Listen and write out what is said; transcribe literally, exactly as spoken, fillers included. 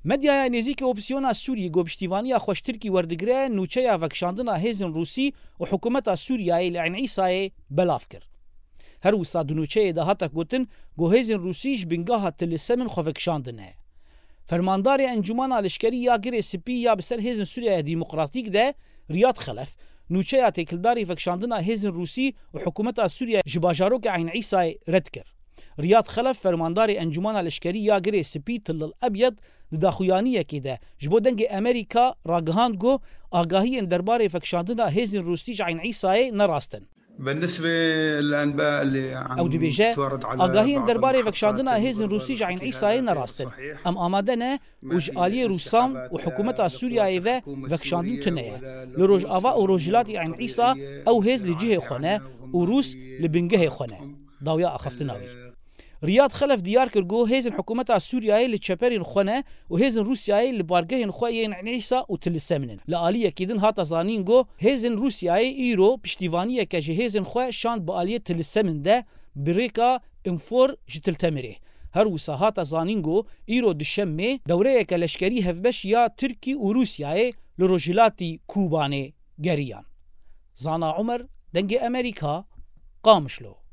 Medyaya nêzîkê opozîsyona Sûriyê ku piştîvaniya xwe ji Tirkî werdigire, nûçeya vekişandina hêzên Rûsî û hikûmeta Sûriyeyê li Eyn Îsayê belav kir. Her wisa di nûçeyê de hate gotin ku hêzên Rûsî ji bingeha Til Semin xwe vekişandine. Fermandarê Encûmena Leşkerî ya Girê Spî ya bi ser Hêzên Sûriyeya Demokratîk de, Riyad Xelef, nûçeya têkildarî vekişandina hêzên Rûsî û hikûmeta Sûriye ji bajarokê Eyn Îsayê red kir. Riyad Xelef, fermandarê Encûmena Leşkerî ya Girê Spî Til El Ebyed, di daxuyaniyekê de ji bo Dengê Amerîka ragihand ku agahiyên derbarê vekişandina hêzên Rûsî ji Eyn Îsayê ne rast in. بالنسبة للأنباء اللي عم Ew dibêje, تتوارد على agahiyên بعض derbarê المحطات vekişandina hêzên Rûsî ji Eyn Îsayê ne rast in. Em amade ne û ji aliyê Rûsan û hikûmeta Sûriyeyê ve vekişandin tune ye. Li Rojava û Rojhilatê Eyn Îsa ew hêz li cihê xwe ne û Rûs li bingehê xwe ne. Dawiya axaftina wî. Riyad Xelef diyar kir ku hêzên hikûmeta Sûriyeyê li çeperên xwe ne û hêzên Rûsyayê li bargehên xwe yên Eyn Îsa û Til Semin in. Li aliyekî din hate zanîn ku hêzên Rûsyayê îro piştîvaniyeke ji hêzên xwe şand bi aliyê Til Semin de bi rêka Înfor ji Til Temirê. Her wisa hate zanîn ku îro duşemê dewreyeke leşkerî hevbeş ya Tirkî û Rûsyayê li rojhilatî Kûbanê geriyan. Zana Umer, Dengê Amerîka, Qamişlo.